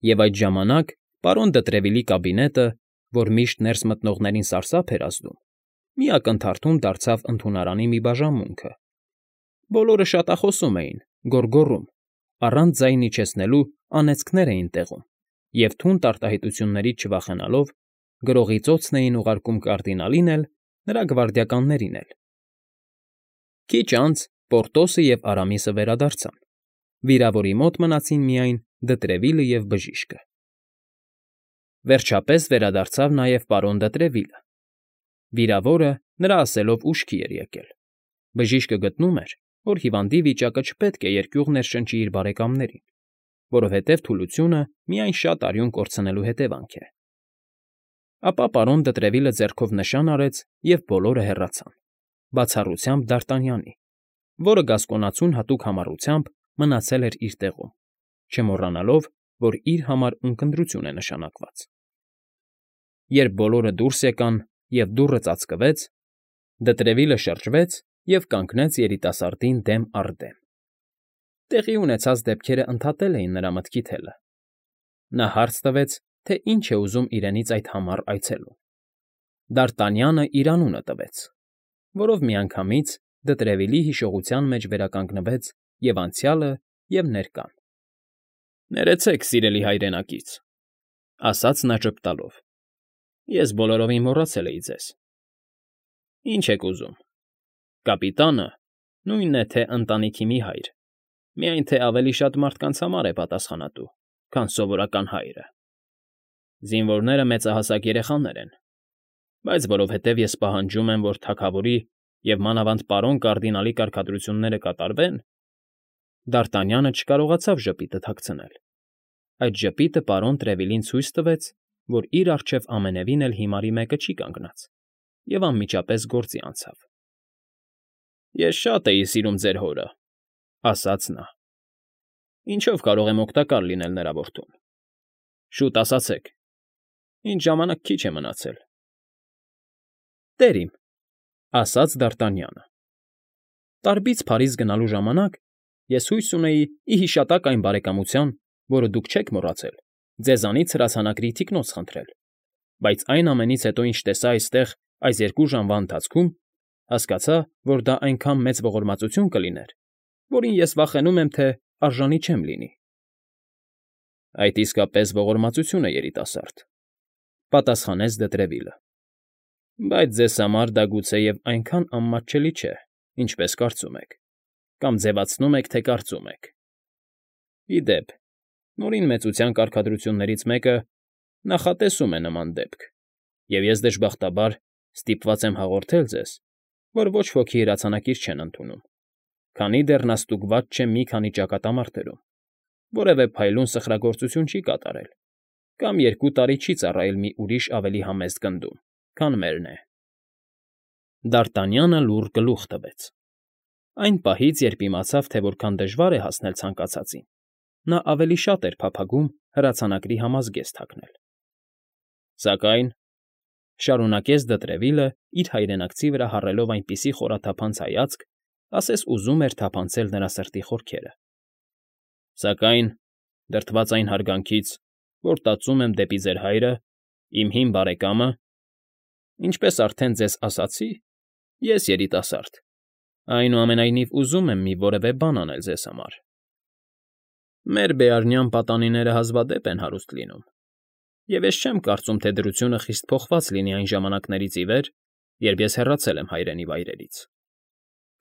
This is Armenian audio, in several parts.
Եվ այդ ժամանակ պարոն Դտրևիլի կաբինետը, որ միշտ ներս մտնողներին սարսափ էր ազդում, մի ակնթարթում դարձավ ընդունարանի մի բաժանմունքը. բոլորը շատախոսում էին, գոռգոռում, առանց ձայն իջեցնելու անեծքներ էին տեղում և թունդ արտահայտություններից չվախենալով գրողի ծոցն էին ուղարկում կարդինալին էլ, նրա գվարդիականներին էլ։ Քիչ անց Պորտոսը և Արամիսը վերադարձան, վիրավորի մոտ մնացին միայն Դտրևիլը և բժիշկը։ Վերջապես վերադարձավ նաև պարոն Դտրևիլը։ Վիրավորը, նրա ասելով, ուշքի էր եկել։ Բժիշկը գտնում էր, որ հիվանդի վիճակը չպետք է երկյուղ ներշնչի իր բարեկամներին, որովհետև թուլությունը միայն շատ արյուն կորցնելու հետևանք է։ Ապա պարոն Դտրևիլը ձեռքով նշան արեց, և բոլորը հեռացան, բացառությամբ Դարտանյանի, որը գասկոնացուն հատուկ համառությամբ մնացել էր իր տեղում, չմոռանալով, որ իր համար ունկնդրություն է նշանակված։ Երբ բոլորը դուրս եկան և դուռը ծածկվեց, Դտրևիլը շրջվեց և կանգնեց երիտասարդին դեմ առ դեմ։ Տեղի ունեցած դեպքերը ընդհատել էին նրա մտքի թելը։ Նա հարց տվեց, թե ինչ է ուզում իրենից այդ համառ այցելուն։ Դարտանյանը իր անունը տվեց, որով միանգամից Դտրևիլի հիշողության մեջ վերականգնվեց և անցյալը, և ներկան։ «Ներեցեք, սիրելի հայրենակից», ֊ ասաց նա ժպտալով։ «Ես բոլորովին մոռացել էի ձեզ։ Ինչ եք ուզում։ Կապիտանը նույնն է թե ընտանիքի մի հայր, միայն թե ավելի շատ մարդկանց համար է պատասխանատու, քան սովորական հայրը։ Զինվորները մեծահասակ երեխաներ են, բայց որովհետև ես պահանջում եմ, որ թագավորի և մանավանդ պարոն կարդինալի կարգադրությունները կատարվեն, Դարտանյանը չկարողացավ ժպիտը թաքցնել։ Այդ ժպիտը պարոն Տրևիլին ցույց տվեց, որ իր առջև ամենևին էլ հիմարի մեկը չի կանգնած, և անմիջապես գործի անցավ։ «Ես շատ էի սիրում ձեր հորը», ֊ ասաց նա։ «Ինչով կարող եմ օգտակար լինել նրա որդուն։ Շուտ ասացեք, ինչ ժամանակ քիչ է մնացել»։ «Տեր իմ», ֊ ասաց Դարտանյանը, «Տարբից Փարիզ գնալու ժամանակ ես հույս ունեի ի հիշատակ այն բարեկամության, որը դուք չեք մոռացել, ձեզանից հրացանակրի թիկնոց խնդրել, բայց այն ամենից հետո, ինչ տեսա այստեղ այս 2 ժամվա ընթացքում, հասկացա, որ դա այնքան մեծ ողորմածություն կլիներ, որին ես վախենում եմ, թե արժանի չեմ լինի»։ «Այդ իսկապես ողորմածություն է, երիտասարդ», ֊ պատասխանեց Դտրևիլը, «բայց ձեզ համար դա գուցեև այնքան անմատչելի չէ, ինչպես կարծում եք, կամ ձևացնում եք, թե կարծում եք։ Ի դեպ, Նորին մեծության կարգադրություններից մեկը նախատեսում է նման դեպք, և ես դժբախտաբար ստիպված եմ հաղորդել ձեզ, որ ոչ ոքի հրացանակիր չեն ընդունում, քանի դեռ նա ստուգված չէ մի քանի ճակատամարտերում, որևէ փայլուն սխրագործություն չի կատարել կամ 2 տարի չի ծառայել մի ուրիշ ավելի համեստ գնդում, քան մերն է»։ Դարտանյանը լուռ գլուխ տվեց։ Այն պահից, երբ իմացավ, թե որքան դժվար է հասնել ցանկացածին, նա ավելի շատ էր փափագում հրացանակրի համազգեստ հագնել։ «Սակայն», ֊ շարունակեց Դտրևիլը, իր հայրենակցի վրա հառելով այնպիսի խորաթափանց հայացք, ասես ուզում էր թափանցել նրա սրտի խորքերը, «սակայն, դրդված այն հարգանքից, որ տածում եմ դեպի ձեր հայրը, իմ հին բարեկամը, ինչպես արդեն ձեզ ասացի, ես երիտասարդ, այնուամենայնիվ ուզում եմ մի որևէ բան անել ձեզ համար։ Մեր բեարնյան պատանիները հազվադեպ են հարուստ լինում, և ես չեմ կարծում, թե դրությունը խիստ փոխված լինի այն ժամանակներից ի վեր, երբ ես հեռացել եմ հայրենի վայրերից։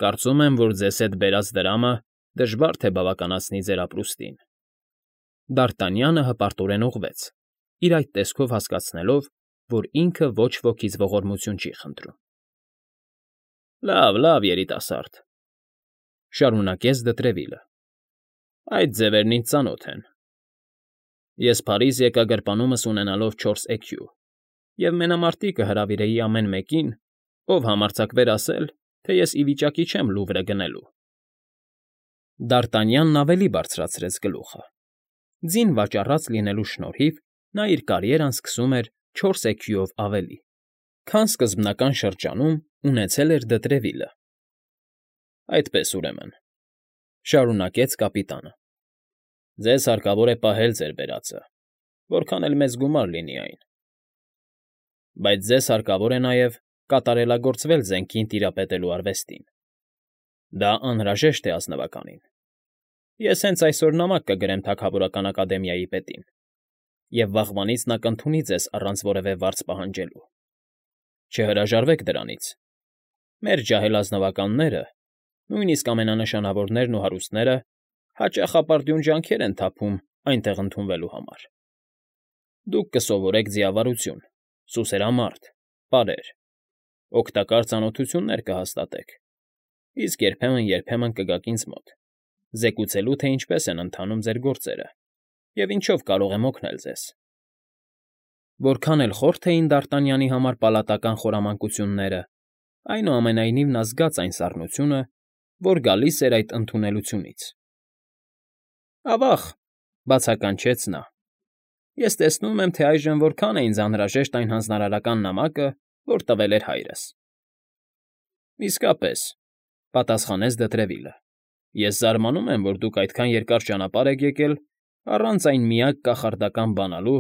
Կարծում եմ, որ ձեզ հետ բերած դրամը դժվար թե բավականացնի ձեր ապրուստին»։ Դարտանյանը հպարտորեն ուղղվեց, իր այդ տեսքով հասկացնելով, որ ինքը ոչ ոքից ողորմություն չի խնդրում։ «Լավ, երիտասարդ», ֊ շարունակեց Դտրևիլը, «այդ ձևերն ինձ ծանոթ են։ Ես Փարիզ եկա գրպանումս ունենալով 4 էքյու և մենամարտիկը հրավիրեի ամեն մեկին, ով համարձակվեր ասել, թե ես ի վիճակի չեմ Լուվրը գնելու»։ Դարտանյանն ավելի բարձրացրեց գլուխը։ Ձին վաճառած լինելու շնորհիվ նա իր կարիերան սկսում էր 4 էքյուով ավելի, քան սկզբնական շրջանում ունեցել էր Դտրևիլը։ «Այդպես, ուրեմն», ֊ շարունակեց կապիտանը, «ձեզ հարկավոր է պահել ձեր բերածը, որքան էլ մեծ գումար լինի այն։ Բայց ձեզ հարկավոր է նաև կատարելագործվել զենքին տիրապետելու արվեստին։ Դա անհրաժեշտ է ազնվականին։ Ես հենց այսօր նամակ կգրեմ Թագավորական Ակադեմիայի պետին, և վաղվանից նա կընդունի ձեզ առանց որևէ վարձ պահանջելու։ Չհրաժարվեք դրանից։ Մեր ջահել ազնվականները, նույնիսկ ամենանշանավորներն ու հարուստները, հաճախ ապարդյուն ջանքեր են թափում այնտեղ ընդունվելու համար։ Դուք կսովորեք ձիավարություն, սուսերամարտ, պարեր, օգտակար ծանոթություններ կհաստատեք, իսկ երբեմն կգաք ինձ մոտ, զեկուցելու, թե ինչպես են ընթանում ձեր գործերը և ինչով կարող եմ օգնել ձեզ։ Որքան էլ խորթ էին Դ'Արտանյանի համար պալատական խորամանկությունները, այնուամենայնիվ նա զգաց այն սառնությունը, որ գալիս էր այդ ընդունելությունից։ Ավա՜ղ,֊ բացականչեց նա,֊ ես տեսնում եմ, թե այժմ որքան է ինձ անհրաժեշտ այն հանձնարարական նամակը, որ տվել էր հայրս։ Իսկապես,֊ պատասխանեց Դետրևիլը,֊ ես զարմանում եմ, որ դուք այդքան երկար ճանապարհ եք եկել առանց այն միակ կախարդական բանալու,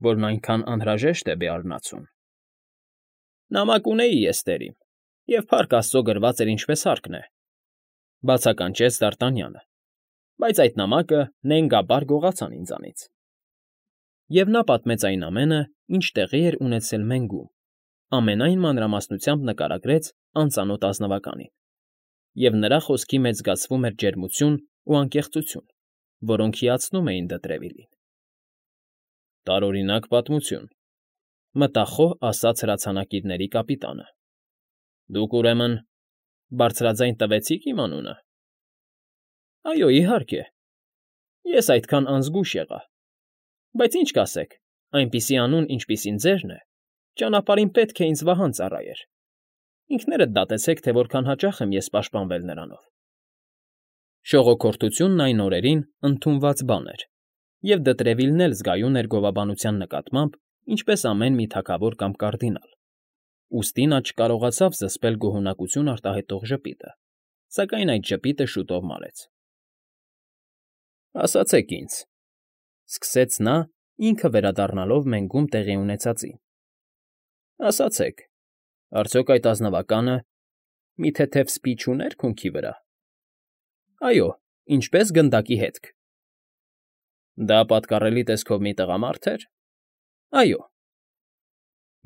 որն այնքան անհրաժեշտ է Բեարնացուն։ Նամակ ունեի ես, տերիմ, և փառք աստծո գրված էր ինչպես հարկն է,֊ բացականչեց Դ'Արտանյանը,֊ բայց այդ նամակը նենգաբար գողացան ինձանից։ Եվ նա պատմեց այն ամենը, ինչ տեղի էր ունեցել Մենգում, ամենայն մանրամասնությամբ նկարագրեց անծանոթ ազնվականին, և նրա խոսքի մեջ զգացվում էր ջերմություն ու անկեղծություն, որոնք հիացնում էին Դետրևիլին։ Տարօրինակ պատմություն,֊ մտախոհ ասաց հրացանակիրների կապիտանը։ Դուք, ուրեմն, բարձրաձայն տվեցի՞ք իմ անունը։ Այո, իհարկե, ես այդքան անզգույշ եղա, բայց ինչ կասեք, այնպիսի անուն, ինչպիսին ձերն է, ճանապարհին պետք է ինձ վահան ծառայեր։ Ինքներդ դատեցեք, թե որքան հաճախ եմ ես պաշտպանվել նրանով։ Շողոքորթությունն այն օրերին ընդունված բան էր, և Դետրևիլն էլ զգայուն էր գովաբանության նկատմամբ, ինչպես ամեն մի թագավոր կամ կարդինալ։ Ուստի նա չկարողացավ զսպել գոհունակություն արտահայտող ժպիտը, սակայն այդ ժպիտը շուտով մարեց։ Ասացեք ինձ,֊ սկսեց նա, ինքը վերադառնալով Մենգում տեղի ունեցածին,֊ ասացեք, արդյոք այդ ազնվականը մի թեթև սպի չուներ քունքի վրա։ Այո, ինչպես գնդակի հետք։ Դա պատկառելի տեսքով մի տղամարդ էր։ Այո։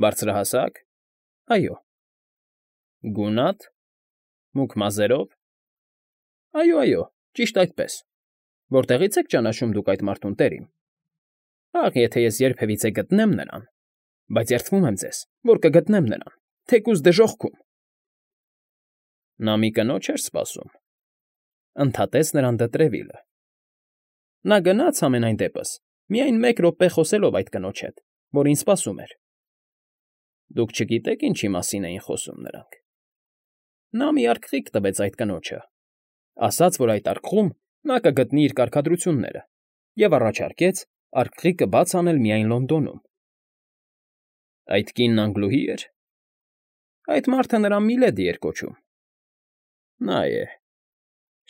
Բարձրահասակ։ Այո։ Գունատ, մուգ մազերով։ Այո, ճիշտ այդպես։ Որտեղից եք ճանաչում դուք այդ մարդուն, տերիմ։ Ախ, եթե ես երբևիցե գտնեմ նրան, բայց երդվում եմ ձեզ, որ կգտնեմ նրան, թեկուզ դժոխքում։ Նա մի կնոջ էր սպասում,֊ ընդհատեց նրան Դետրևիլը։ Նա գնաց համենայն դեպս, միայն մեկ րոպե խոսելով այդ կնոջ հետ, որ ինձ սպասում էր։ Դուք չգիտեք ինչի մասին էին խոսում նրանք։ Նա մի արկղիկ տվեց այդ կնոջը, ասաց, որ այդ արկղում նա կգտնի իր կարգադրությունները, և առաջարկեց արկղիկը բաց անել միայն Լոնդոնում։ Այդ կինն Անգլուհի էր։ Այդ մարդը նրան Միլեդի էր կոչում։ Նա է,֊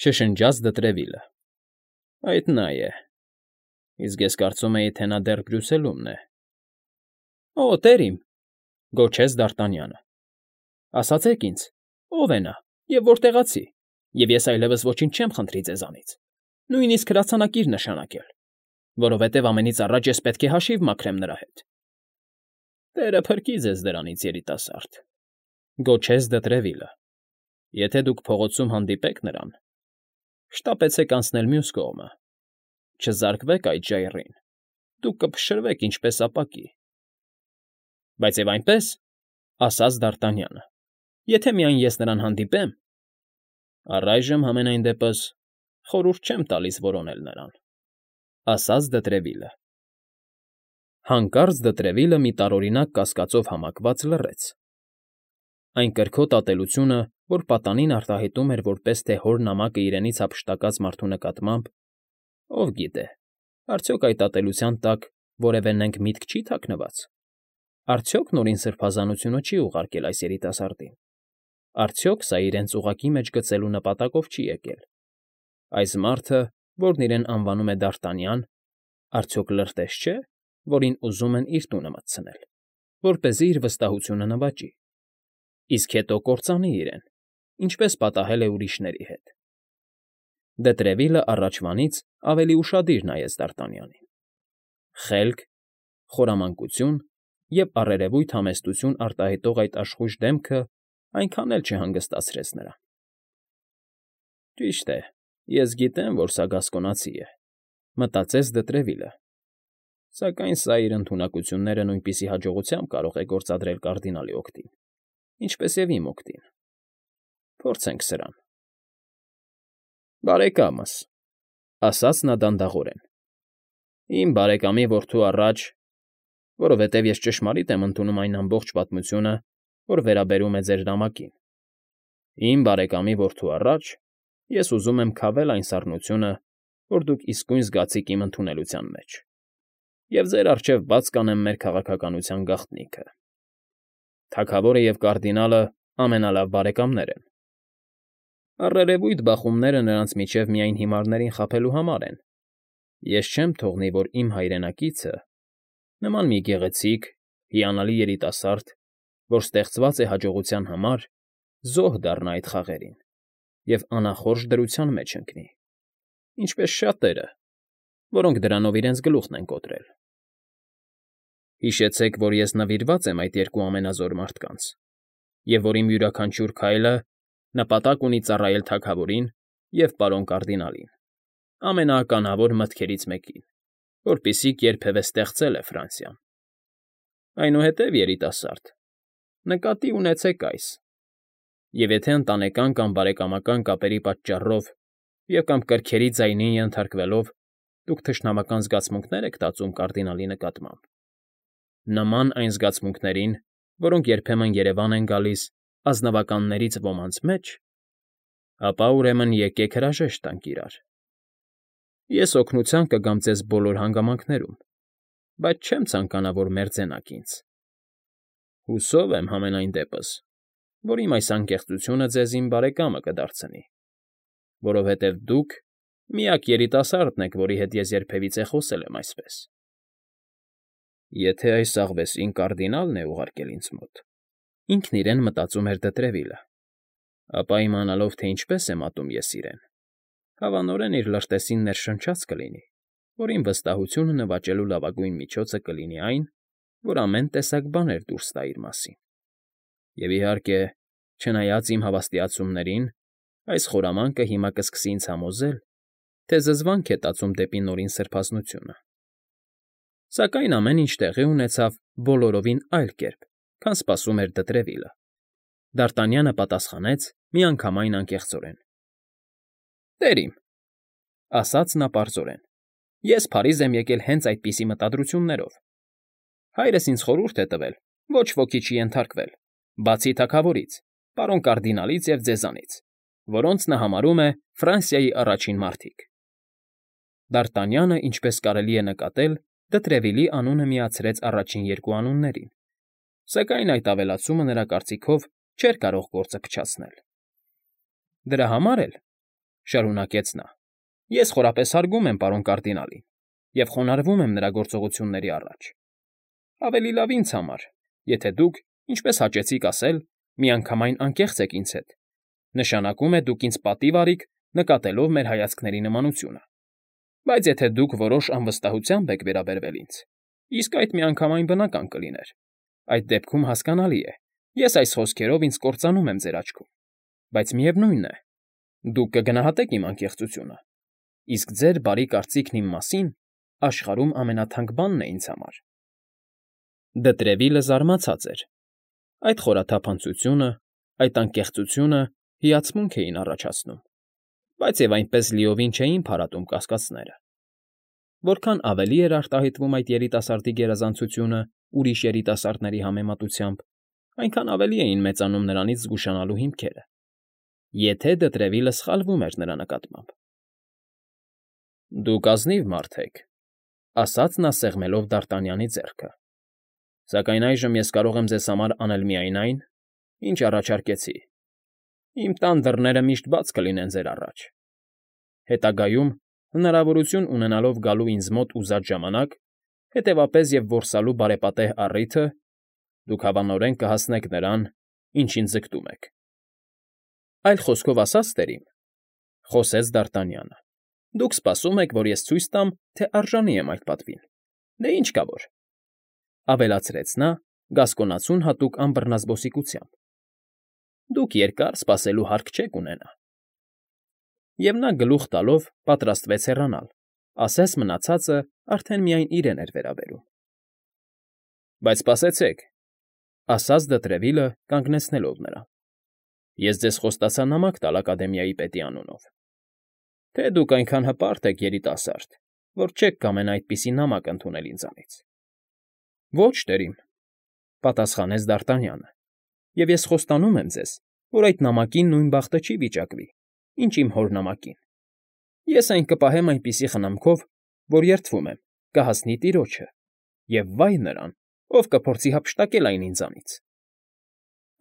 շշնջաց Դետրևիլը,֊ այդ նա է։ Իսկ ես կարծում էի, թե նա դեռ Բրյուսելումն է։ Օ, տերիմ,֊ գոչեց Դ'Արտանյանը,֊ ասացեք ինձ, ով է նա և որտեղացի, և ես այլևս ոչինչ չեմ խնդրի ձեզանից, նույնիսկ հրացանակիր նշանակել, որովհետև ամենից առաջ ես պետք է հաշիվ մաքրեմ նրա հետ։ Տերը փրկի ձեզ դրանից, երիտասարդ,֊ գոչեց Դետրևիլը,֊ եթե դուք փողոցում հանդիպեք նրան, շտապեցեք անցնել մյուս կողմը, չզարկվեք այդ ժայռին, դուք կփշրվեք ինչպես ապակի։ Բայց և այնպես,֊ ասաց Դ'Արտանյանը,֊ եթե միայն ես նրան հանդիպեմ, առայժմ համենայն դեպս խորհուրդ չեմ տալիս որոնել նրան,֊ ասաց Դետրևիլը։ Հանկարծ Դետրևիլը մի տարօրինակ կասկածով համակված լռեց։ Այն կրքոտ ատելությունը, որ պատանին արտահայտում էր որպես թե հոր նամակը իրենից հափշտակած մարդու նկատմամբ, ով գիտե, արդյոք այդ ատելության տակ որևէ նենգ միտք չի թաքնված։ Արդյոք Նորին Սրբազանությունը չի ուղարկել այս երիտասարդին։ Արդյոք սա իրենց ուղղակի մեջ գցելու նպատակով չի եկել։ Այս մարդը, որն իրեն անվանում է Դ'Արտանյան, արդյոք լրտես չէ։ որին ուզում են իր տունը մտցնել, որպեսզի իր վստահությունը նվաճի, իսկ հետո կործանի իրեն, ինչպես պատահել է ուրիշների հետ։ Դե Տրևիլը առաջվանից ավելի ուշադիր նայեց Դ'Արտանյանին. խելք, խորամանկություն և առերևույթ համեստություն արտահայտող այդ աշխույժ դեմքը այնքան էլ չհանգստացրեց նրան։ «Ճիշտ է, ես գիտեմ, որ սա գասկոնացի է,֊ մտածեց Դը Տրևիլը,֊ սակայն սա իր ընդունակությունները նույնպիսի հաջողությամբ կարող է գործադրել կարդինալի օգտին, ինչպես և իմ օգտին։ Փորձենք սրան»։ «Բարեկամս,֊ ասաց նա դանդաղորեն,֊ իմ բարեկամի որդու առաջ, որովհետև ես ճշմարիտ եմ ընդունում այն ամբողջ պատմությունը, որ վերաբերում է ձեր նամակին, իմ բարեկամի որդու առաջ ես ուզում եմ քավել այն սառնությունը, որ դուք իսկույն զգացիք իմ ընդունելության մեջ, և ձեր առջև բաց կանեմ մեր քաղաքականության գաղտնիքը։ Թագավորը և կարդինալը ամենալավ բարեկամներ են։ Առերևույթ բախումները նրանց միջև միայն հիմարներին խաբելու համար են։ Ես չեմ թողնի, որ իմ հայրենակիցը, նման մի գեղեցիկ, հիանալի երիտասարդ, որ ստեղծված է հաջողության համար, զոհ դառնա այդ խաղերին և անախորժ դրության մեջ ընկնի, ինչպես շատերը, որոնք դրանով իրենց գլուխն են կոտրել։ Հիշեցեք, որ ես նվիրված եմ այդ երկու ամենազոր մարդկանց, և որ իմ յուրաքանչյուր քայլը նպատակ ունի ծառայել թագավորին և պարոն կարդինալին, ամենաականավոր մտքերից մեկին, որպիսիք երբևէ ստեղծել է Ֆրանսիան։ Այնուհետև, երիտասարդ, նկատի ունեցեք այս. և եթե ընտանեկան կամ բարեկամական կապերի պատճառով և կամ կրքերի ձայնին ենթարկվելով դուք թշնամական զգացմունքներ եք տածում կարդինալի նկատմամբ, նման այն զգացմունքներին, որոնք երբեմն երևան են գալիս ազնվականներից ոմանց մեջ, ապա ուրեմն եկեք հրաժեշտ տանք իրար։ Ես օգնության կգամ ձեզ բոլոր հանգամանքներում, բայց չեմ ցանկանա, որ մերձենաք ինձ։ Հուսով եմ, համենայն դեպս, որ իմ այս անկեղծությունը ձեզ իմ բարեկամը կդարձնի, որովհետև դուք միակ երիտասարդն եք, որի հետ ես երբևիցե խոսել եմ այսպես։ Եթե այս աղվեսին կարդինալն է ուղարկել ինձ մոտ, ինքն իրեն մտածում էր Դը Տրևիլը, ապա իմանալով, թե ինչպես եմ ատում ես իրեն, հավանորեն իր լրտեսին ներշնչած կլինի, որ իմ վստահությունը նվաճելու լավագույն միջոցը կլինի այն, որ ամեն տեսակ բաներ դուրս տա իր մասին։ Եվ իհարկե, չնայած իմ հավաստիացումներին, այս խորամանկը հիմա կսկսի ինձ համոզել, թե զզվանք է տածում դեպի նորին սրբազնությունը։ Սակայն ամեն ինչ տեղի ունեցավ բոլորովին այլ կերպ, քան սպասում էր Դը Տրևիլը։ Դ'Արտանյանը պատասխանեց միանգամայն անկեղծորեն. «Տեր իմ,֊ ասաց նա պարզորեն,֊ ես Փարիզ եմ եկել հենց այդպիսի մտադրություններով։ Հայրս ինձ խորհուրդ է տվել ոչ ոքի չի ենթարկվել, բացի թագավորից, պարոն կարդինալից և ձեզանից, որոնց նա համարում է Ֆրանսիայի առաջին մարդիկ»։ Դ'Արտանյանը, ինչպես կարելի է նկատել, Դը Տրևիլի անունը միացրեց առաջին երկու անուններին, սակայն այդ ավելացումը նրա կարծիքով չէր կարող գործը փչացնել։ «Դրա համար էլ,֊ շարունակեց նա,֊ ես խորապես հարգում եմ պարոն կարդինալին և խոնարհվում եմ նրա գործողությունների առաջ։ Ավելի լավ ինձ համար, եթե դուք, ինչպես հաճեցիք ասել, միանգամայն անկեղծ եք ինձ հետ, նշանակում է դուք ինձ պատիվ արիք նկատելով մեր հայացքների նմանությունը։ Բայց եթե դուք որոշ անվստահությամբ եք վերաբերվել ինձ, իսկ այդ միանգամայն բնական կլիներ, այդ դեպքում հասկանալի է, ես այս խոսքերով ինձ կործանում եմ ձեր աչքում, բայց միևնույն է, դուք կգնահատեք իմ անկեղծությունը, իսկ ձեր բարի կարծիքն իմ մասին աշխարհում ամենաթանկ բանն է ինձ համար»։ Դը Տրևիլը զարմացած էր։ Այդ խորաթափանցությունը, այդ անկեղծությունը հիացմունք էին առաջացնում, բայց և այնպես լիովին չէին փարատում կասկածները։ Որքան ավելի էր արտահայտվում այդ երիտասարդի գերազանցությունը ուրիշ երիտասարդների համեմատությամբ, այնքան ավելի էին մեծանում նրանից զգուշանալու հիմքերը, եթե Դը Տրևիլը սխալվում էր նրա նկատմամբ։ «Դուք ազնիվ մարդ եք,֊ ասաց նա սեղմելով Դ'Արտանյանի ձեռքը,֊ սակայն այժմ ես կարող եմ ձեզ համար անել միայն այն, ինչ առաջարկեցի։ Իմ տան դռները միշտ բաց կլինեն ձեր առաջ։ Հետագայում, հնարավորություն ունենալով գալու ինձ մոտ ուզած ժամանակ, հետևապես և որսալու բարեպատեհ առիթը դուք հավանորեն կհասնեք նրան, ինչին ձգտում եք։ ֊ Այլ խոսքով ասած, տերիմ,֊ խոսեց Դ'Արտանյանը,֊ դուք սպասում եք, որ ես ցույց տամ, թե արժանի եմ այդ պատվին։ Դե ինչ կա որ,֊ ավելացրեց նա գասկոնացուն հատուկ անբռնազբոսիկությամբ,֊ դուք երկար սպասելու հարկ չեք ունենա։ Եվ նա գլուխ տալով պատրաստվեց հեռանալ, ասես մնացածը արդեն միայն իրեն էր վերաբերում։ ֊ Բայց սպասեցեք,֊ ասաց Դը Տրևիլը կանգնեցնելով նրան,֊ ես ձեզ խոստացա նամակ տալ ակադեմիայի պետի անունով։ Թե դուք այնքան հպարտ եք, երիտասարդ, որ չեք կամենա այդպիսի նամակ ընդունել ինձանից։ ֊ Ոչ, տերիմ,֊ պատասխանեց Դ'Արտանյանը,֊ և ես խոստանում եմ ձեզ, որ այդ նամակին նույն բախտը չի վիճակվի, ինչ իմ հոր նամակին։ Ես այն կպահեմ այնպիսի խնամքով, որ երդվում եմ, կհասնի տիրոջը, և վայ նրան, ով կփորձի հափշտակել այն ինձանից։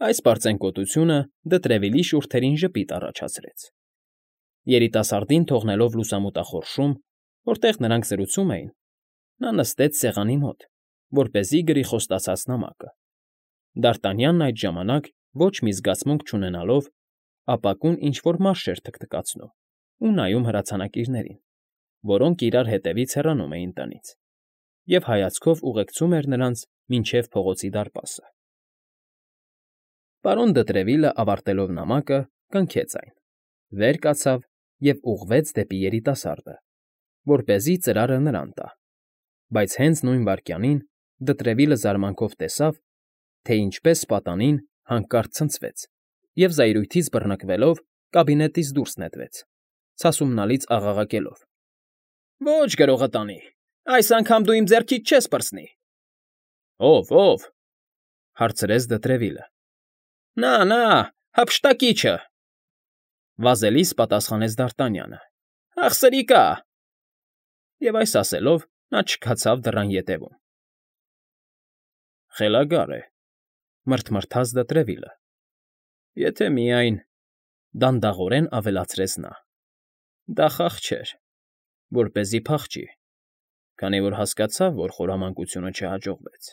Այս պարծենկոտությունը Դը Տրևիլի շուրթերին ժպիտ առաջացրեց։ Երիտասարդին թողնելով լուսամուտախորշում, որտեղ նրանք զրուցում էին, նա նստեց սեղանի մոտ, որպեսզի գրի խոստացած նամակը։ Դ'Արտանյանն այդ ժամանակ, ոչ մի զգացմունք չունենալով, ապակուն ինչ֊որ մարշ էր թքթքացնում ու նայում հրացանակիրներին, որոնք իրար հետևից հեռանում էին տնից, և հայացքով ուղեկցում էր նրանց մինչև փողոցի դարպասը։ Պարոն Դը Տրևիլը, ավարտելով նամակը, կնքեց այն, վեր կացավ և ուղղվեց դեպի երիտասարդը, որպեսզի ծրարը նրան տա, բայց հենց նույն վայրկյանին Դը Տրևիլը զարմանքով տեսավ, թե ինչպես պատանին հանկարծ ցնցվեց և, զայրույթից բռնկվելով, կաբինետից դուրս նետվեց, ցասումնալից աղաղակելով. «Ոչ, գրողը տանի, այս անգամ դու իմ ձեռքից չես պրծնի»։ ֊ Ո՞վ,֊ հարցրեց Դը Տրևիլը։ ֊ Նա, հափշտակիչը,֊ վազելիս պատասխանեց Դ'Արտանյանը։ ֊ Ախ, սրիկա…֊ Եվ այս ասելով նա չքացավ դռան ետևում։ «Խելագար է,֊ մռթմռթաց Դը Տրևիլը,֊ եթե միայն…֊ դանդաղորեն ավելացրեց նա,֊ դա խաղ չէր, որպեսզի փախչի, քանի որ հասկացավ, որ խորամանկությունը չհաջողվեց։